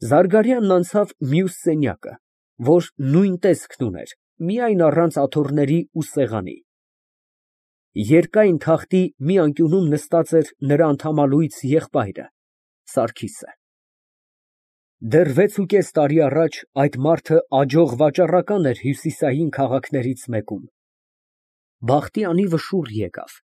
Զարգարյանն անցավ մյուս սենյակը, որ նույն տեսքն ուներ, միայն առանց աթոռների ու սեղանի։ Երկայն թախտի մի անկյունում նստած էր նրա անդամալույս եղբայրը ֊ Սարգիսը։ Դեռ 6.5 տարի առաջ այդ մարդը աջող վաճառական էր հյուսիսային քաղաքներից մեկում։ Բախտի անիվը շուռ եկավ,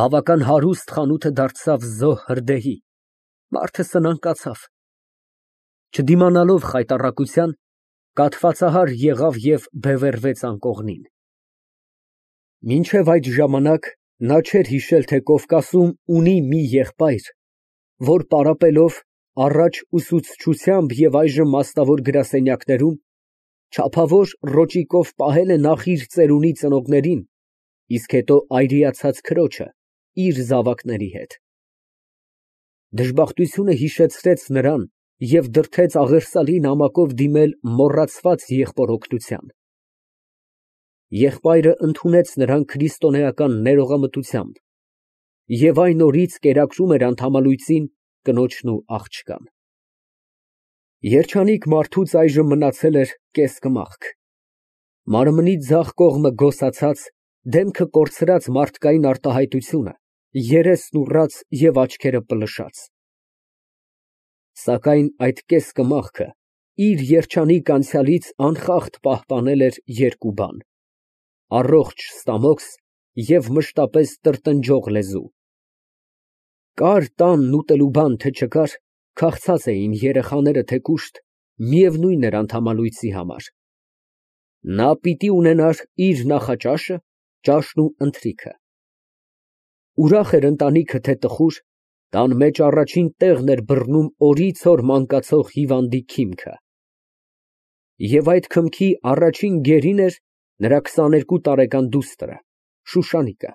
բավական հարուստ խանութը դարձավ զոհ հրդեհի, մարդը սնանկացավ։ Չդիմանալով խայտառակության, կաթվածահար եղավ և բևեռվեց անկողնին։ Մինչև այդ ժամանակ նա չէր հիշել, թե Կովկասում ունի մի եղբայր, որ պարապելով, առաջ ուսուցչությամբ և այժմ մասնավոր գրասենյակներում, չափավոր ռոճիկով պահել է նախ իր ծերունի ծնողներին, իսկ հետո այրիացած քրոջը իր զավակների հետ։ Դժբախտությունը հիշեցրեց նրան և դրդեց աղերսալի նամակով դիմել մոռացված եղբոր օգնության։ Եղբայրը ընդունեց նրան քրիստոնեական ներողամտությամբ և այն օրից կերակրում էր անդամալույսին կնոջն ու աղջկան։ Երջանիկ մարդուց այժմ մնացել էր կես կմախք, մարմնի ձախ կողմը գոսացած, դեմքը կորցրած մարդկային արտահայտությունը, երեսն ուռած և աչքերը պլշած։ Սակայն այդ կես կմախքը իր երջանիկ անցյալից անխախտ պահպանել էր երկու բան՝ առողջ ստամոքս և մշտապես տրտնջող լեզու։ Կար տանն ուտելու բան, թե չկար, քաղցած էին երեխաները, թե կուշտ, միևնույն էր անդամալույսի համար։ Նա պիտի ունենար իր նախաճաշը, ճաշն ու ընթրիքը։ Ուրախ էր ընտանիքը, թե տխուր, տան մեջ առաջին տեղն էր բռնում օրից օր մանկացող հիվանդի քիմքը։ Եվ այդ քմքի առաջին գերին էր նրա 22 տարեկան դուստրը ֊ Շուշանիկը։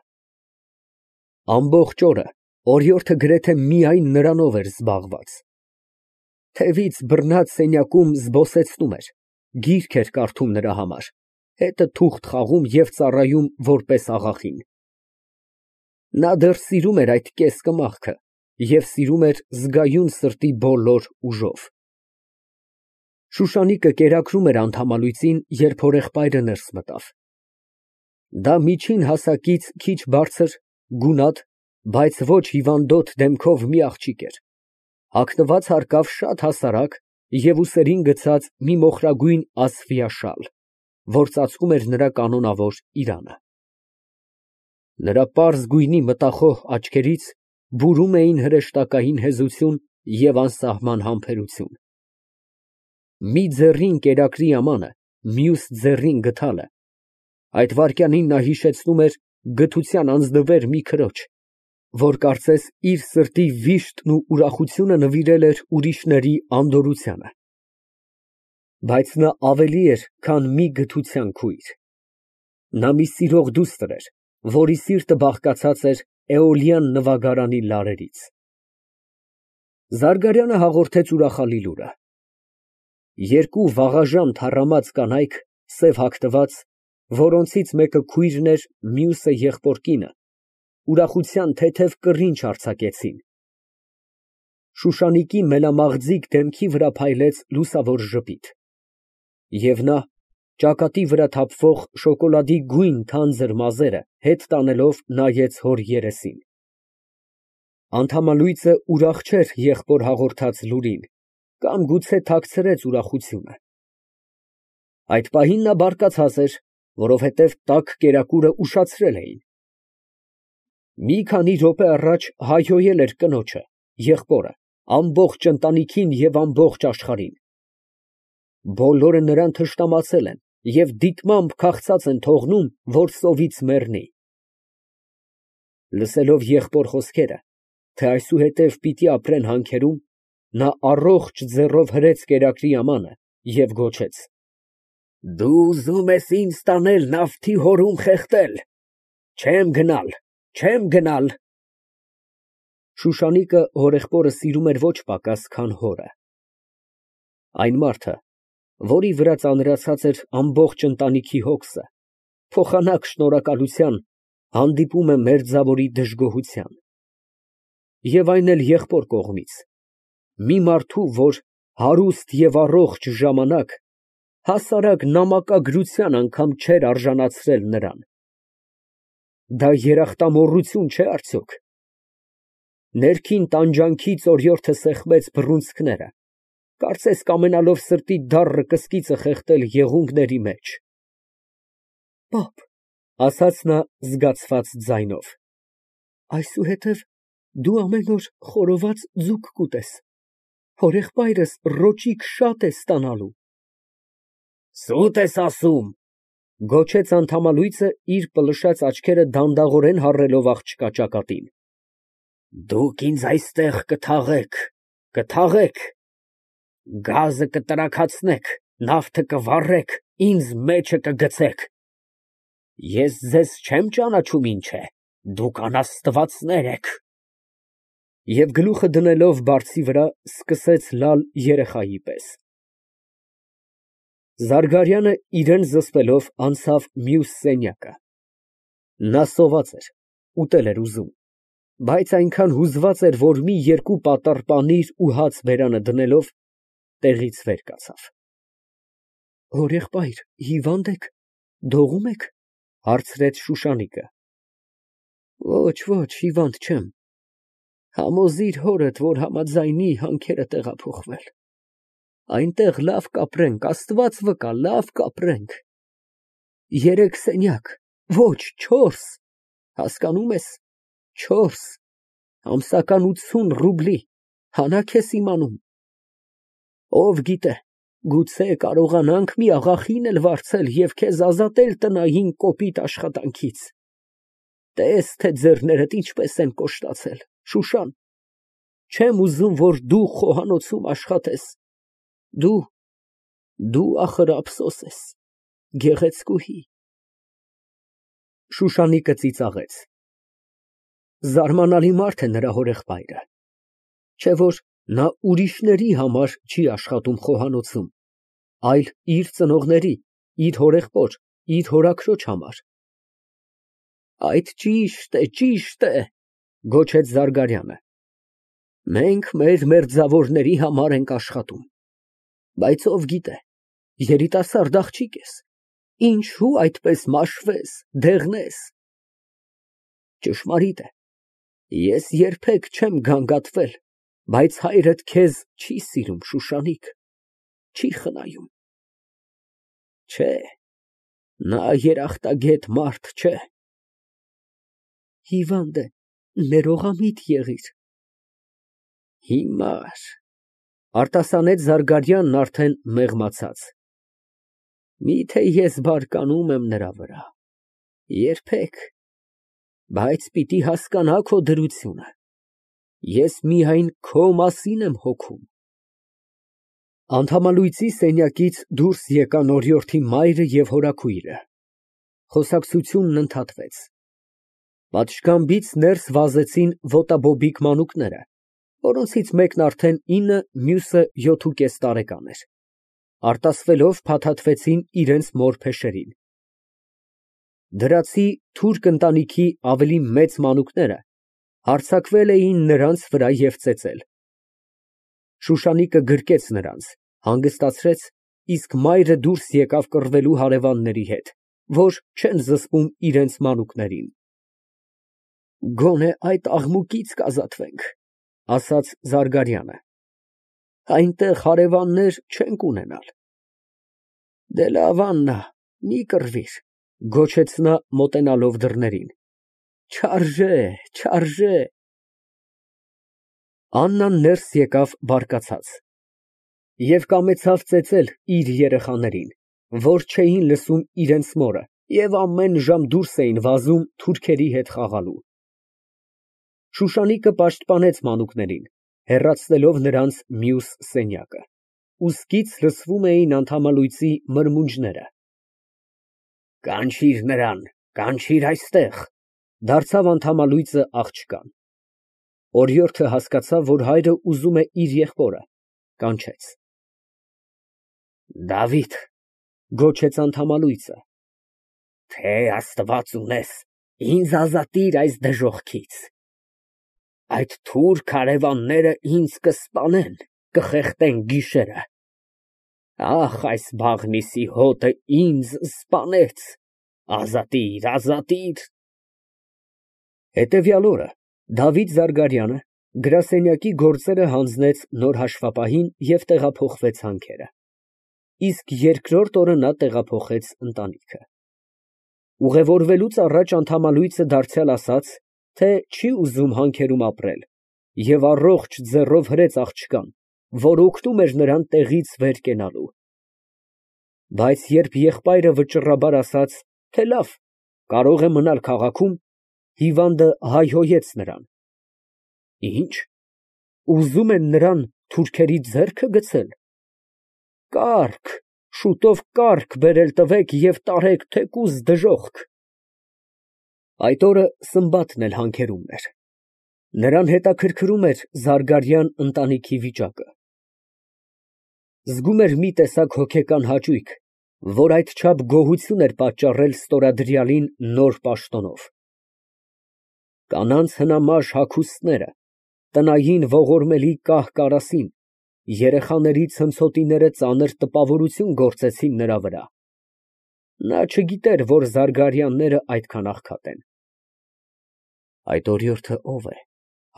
Ամբողջ օրը օրիորդը գրեթե միայն նրանով էր զբաղված։ Թևից բռնած սենյակում զբոսեցնում էր, գիրք էր կարդում նրա համար, հետը թուղթ խաղում և ծառայում որպես աղախին։ Նա դեռ սիրում էր այդ կես կմախքը և սիրում էր զգայուն սրտի բոլոր ուժով։ Շուշանիկը կերակրում էր անդամալույսին, երբ հորեղբայրը ներս մտավ։ Դա միջին հասակից քիչ բարձր, գունատ, բայց ոչ հիվանդոտ դեմքով մի աղջիկ էր, հագնված հարկավ շատ հասարակ և ուսերին գցած մի մոխրագույն ասֆիա շալ, որ ծածկում էր նրա կանոնավոր իրանը։ Նրա պարզ գույնի մտախոհ աչքերից բուրում էին հրեշտակային հեզություն և անսահման համբերություն։ Մի ձեռին կերակրի ամանը, մյուս ձեռին գդալը, այդ վայրկյանին նա հիշեցնում էր գթության անձնվեր մի քրոջ, որ կարծես իր սրտի վիշտն ու ուրախությունը նվիրել էր ուրիշների անդորրությանը։ Բայց նա ավելի էր, քան մի գթության քույր. նա մի սիրող դուստր էր, որի սիրտը բաղկացած էր էոլյան նվագարանի լարերից։ Զարգարյանը հաղորդեց ուրախալի լուրը. երկու վաղաժամ թառամած կանայք, սև հագնված, որոնցից մեկը քույրն էր, մյուսը եղբոր կինը, ուրախության թեթև կռինչ արձակեցին։ Շուշանիկի մելամաղձիկ դեմքի վրա փայլեց լուսավոր ժպիտ, և նա, ճակատի վրա թափվող շոկոլադի գույն թանձր մազերը հետ տանելով, նայեց հոր երեսին։ Անդամալույսը ուրախ չէր եղբոր հաղորդած լուրին կամ գուցե թաքցրեց ուրախությունը։ Այդ պահին նա բարկացած էր, որովհետև տաք կերակուրը ուշացրել էին։ Մի քանի րոպե առաջ հայհոյել էր կնոջը, եղբորը, ամբողջ ընտանիքին և ամբողջ աշխարհին։ Բոլորը նրան թշնամացել են և դիտմամբ քաղցած են թողնում, որ սովից մեռնի։ Լսելով եղբոր խոսքերը, թե այսուհետև պիտի ապրեն հանքերում, նա առողջ ձեռով հրեց կերակրի ամանը և գոչեց. «Դու ուզում ես ինձ տանել նավթի հորում խեղդել, չեմ գնալ, չեմ գնալ»։ Շուշանիկը հորեղբորը սիրում էր ոչ պակաս, քան հորը։ Այն մարդը, որի վրա ծանրացած էր ամբողջ ընտանիքի հոգսը, փոխանակ շնորհակալության, հանդիպում է մերձավորի դժգոհության։ Եվ այն էլ եղբոր կողմից, մի մարդու, որ հարուստ եւ առողջ ժամանակ հասարակ նամակագրության անգամ չէր արժանացրել նրան։ Դա երախտամոռություն չէ՞ արդյոք։ Ներքին տանջանքից օրիորդը սեղմեց բռունցքները, կարծես կամենալով սրտի դառը կսկիծը խեղդել եղունգների մեջ։ «Պապ», ֊ ասաց նա զգացված ձայնով, ֊ այսուհետև դու ամեն օր խորոված ձուկ կուտես, հորեղբայրս ռոճիկ շատ է ստանալու։ «Սուտ ես ասում», ֊ գոչեց Անթամալույցը, իր պլշած աչքերը դանդաղորեն հառելով աղջկա ճակատին։ «Դուք ինձ այստեղ կթաղեք, գազը կտրաքացնեք, նավթը կվառեք, ինձ մեջը կգցեք։ Ես ձեզ չեմ ճանաչում ինչ է, դուք անաստվածներ եք»։ Եվ գլուխը դնելով բարձի վրա, սկսեց լալ երեխայի պես։ Զարգարյանը իրան զսպելով անցավ մյուս սենյակը։ Նա սոված էր, ուտել էր ուզում, բայց այնքան հուզված էր, որ մի երկու պատառ պանիր ու հաց բերանը դնելով, տեղից վեր կացավ։ «Հորեղբայր, հիվա՞նդ եք, դողում եք, ֊ հարցրեց Շուշանիկը։ Ոչ, հիվանդ չեմ, համոզիր հորդ, որ համաձայնի հանքերը տեղափոխվել, այնտեղ լավ կապրենք, Աստված վկա, լավ կապրենք։ 3 սենյակ, ոչ 4, հասկանում ես, 4, ամսական 80 ռուբլի, հանաք ես իմանում։ Ով գիտե, գուցե կարողանանք մի աղախին էլ վարձել և քեզ ազատել տնային կոպիտ աշխատանքից։ Տես, թե ձեռներդ ինչպես են կոշտացել, Շուշան, չեմ ուզում, որ դու խոհանոցում աշխատես, դու ախր ափսոս ես, գեղեցկուհի։ Շուշանիկը ծիծաղեց։ Զարմանալի մարդ է նրա հորեղբայրը, չէ՞ որ նա ուրիշների համար չի աշխատում խոհանոցում, այլ իր ծնողների, իր հորեղբոր, իր հորաքրոջ համար։ Այդ ճիշտ է, ֊ գոչեց Զարգարյանը։ Մենք մեր մերձավորների համար ենք աշխատում, բայց ով գիտե, երիտասարդ աղջիկ ես, ինչո՞ւ այդպես մաշվես, դեղնես։ Ճշմարիտ է, ես երբեք չեմ գանգատվել, բայց հայրդ քեզ չի սիրում, Շուշանիկ, չի խնայում։ Չէ, նա երախտագետ մարդ չէ։ Հիվանդ է, ներողամիտ եղիր։ Հիմար, ֊ արտասանեց Զարգարյանն արդեն մեղմացած։ Միթե ես բարկանում եմ նրա վրա, երբեք, բայց պիտի հասկանա քո դրությունը, ես միայն քո մասին եմ հոգում։ Անթամալույցի սենյակից դուրս եկան օրիորդի մայրը և հորաքույրը։ Խոսակցությունն ընդհատվեց։ Պատշգամբից ներս վազեցին ոտաբոբիկ մանուկները, որոնցից մեկն արդեն 9, մյուսը 7.5 տարեկան էր, արտասվելով փաթաթվեցին իրենց մոր փեշերին։ Դրացի թուրք ընտանիքի ավելի մեծ մանուկները հարձակվել էին նրանց վրա և ծեծել։ Շուշանիկը գրկեց նրանց, հանգստացրեց, իսկ մայրը դուրս եկավ կռվելու հարևանների հետ, որ չեն զսպում իրենց մանուկներին։ Գոնե այդ աղմուկից կազատվենք, ֊ ասաց Զարգարյանը, այնտեղ հարևաններ չենք ունենալ։ Դե լավ, Աննա, մի կռվիր, ֊ գոչեց նա մոտենալով դռներին, չարժե։ Աննան ներս եկավ բարկացած և կամեցավ ծեծել իր երեխաներին, որ չէին լսում իրենց մորը և ամեն ժամ դուրս էին վազում թուրքերի հետ խաղալու։ Շուշանիկը պաշտպանեց մանուկներին, հեռացնելով նրանց մյուս սենյակը, ուսկից լսվում էին Անթամալույցի մրմունջները։ Կանչիր նրան, կանչիր այստեղ, ֊ դարձավ Անթամալույցը աղջկան։ Օրիորդը հասկացավ, որ հայրը ուզում է իր եղբորը, կանչեց։ Դավիթ, ֊ գոչեց Անթամալույցը, թե Աստված ունես, ինձ ազատիր այս դժոխքից։ Այդ թուրք հարևանները ինձ կսպանեն, կխեղդեն գիշերը։ Ախ, այս Բաղնիսի հոտը ինձ սպանեց, ազատիր։ Հետևյալ օրը Դավիթ Զարգարյանը գրասենյակի գործերը հանձնեց նոր հաշվապահին և տեղափոխվեց հանքերը, իսկ երկրորդ օրը նա տեղափոխեց ընտանիքը։ Ուղևորվելուց առաջ անդամալույսը դարձյալ ասաց, թե չի ուզում հանքերում ապրել, և առողջ ձեռով հրեց աղջկան, որ օգնում էր նրան տեղից վեր կենալու։ Բայց երբ եղբայրը վճռաբար ասաց, թե լավ, կարող է մնալ քաղաքում, հիվանդը հայհոյեց նրան. Ի՞նչ, ուզում են նրան թուրքերի ձեռքը գցել։ Կառք, շուտով կառք բերել տվեք և տարեք թեկուզ դժոխք։ Այդ օրը Սմբաթն էլ հանքերումն էր։ Նրան հետաքրքրում էր Զարգարյան ընտանիքի վիճակը։ Զգում էր մի տեսակ հոգեկան հաճույք, որ այդչափ գոհություն էր պատճառել ստորադրյալին նոր պաշտոնով։ Կանանց հնամաշ հագուստները, տնային ողորմելի կահ֊կարասին, երեխաների ցնցոտիները ծանր տպավորություն գործեցին նրա վրա։ Նա չգիտեր, որ Զարգարյանները այդքան աղքատ են։ Այդ օրիորդը ո՞վ է,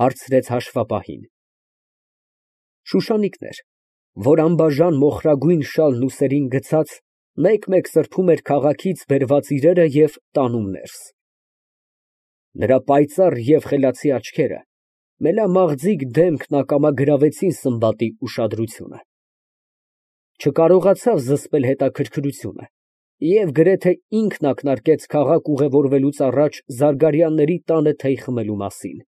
հարցրեց հաշվապահին։ Շուշանիկն էր, որ անբաժան մոխրագույն շալն ուսերին գցած, մեկ֊մեկ սրբում էր քաղաքից բերված իրերը և տանում ներս։ Նրա պայծառ և խելացի աչքերը, մելամաղձիկ դեմքն ակամա գրավեցին Սմբատի ուշադրությունը։ Չկարողացավ զսպել հետաքրքրությունը և գրեթե ինքն ակնարկեց քաղաք ուղևորվելուց առաջ Զարգարյանների տանը թեյ խմելու մասին։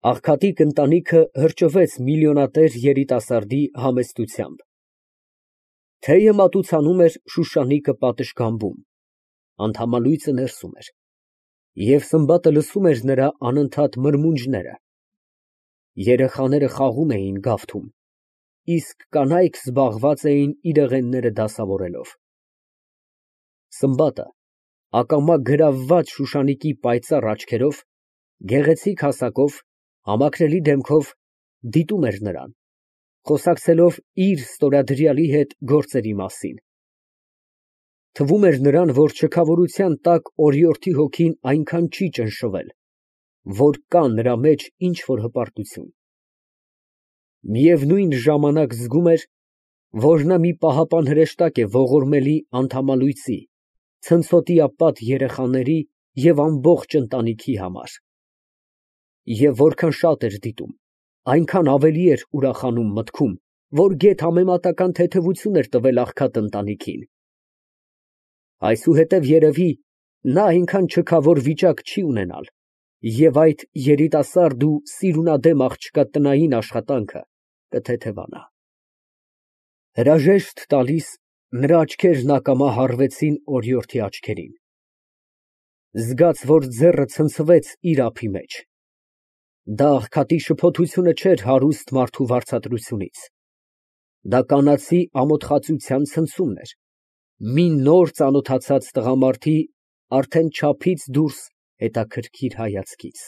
Աղքատիկ ընտանիքը հրճվեց միլիոնատեր երիտասարդի համեստությամբ։ Թեյը մատուցանում էր Շուշանիկը պատշգամբում, անդամալույսը ներսում էր, և Սմբատը լսում էր նրա անընդհատ մրմունջները։ Երեխաները խաղում էին գավթում, իսկ կանայք զբաղված էին իրեղենները դասավորելով։ Սմբատը, ակամա գրավված Շուշանիկի պայծառ աչքերով, գեղեցիկ հասակով, համակրելի դեմքով դիտում էր նրան, խոսակցելով իր ստորադրյալի հետ գործերի մասին։ Թվում էր նրան, որ չքավորության տակ օրիորդի հոգին այնքան չի ճնշվել, որ կա նրա մեջ ինչ֊որ հպարտություն։ Միևնույն ժամանակ զգում էր, որ նա մի պահապան հրեշտակ է ողորմելի անդամալույսի, ցնցոտիապատ երեխաների և ամբողջ ընտանիքի համար։ Եվ որքան շատ էր դիտում, այնքան ավելի էր ուրախանում մտքում, որ գեթ համեմատական թեթևություն էր տվել աղքատ ընտանիքին։ Այսուհետև երևի նա այնքան չքավոր վիճակ չի ունենալ, և այդ երիտասարդ ու սիրունադեմ աղջկա տնային աշխատանքը կթեթևանա։ Հրաժեշտ տալիս, նրա աչքերն ակամա հառվեցին օրիորդի աչքերին։ Զգաց, որ ձեռը ցնցվեց իր ափի մեջ։ Դա աղքատի շփոթությունը չէր հարուստ մարդու վարձատրությունից։ Դա կանացի ամոթխածության ցնցումն էր, մի նոր ծանոթացած տղամարդի արդեն չափից դուրս հետաքրքիր հայացքից։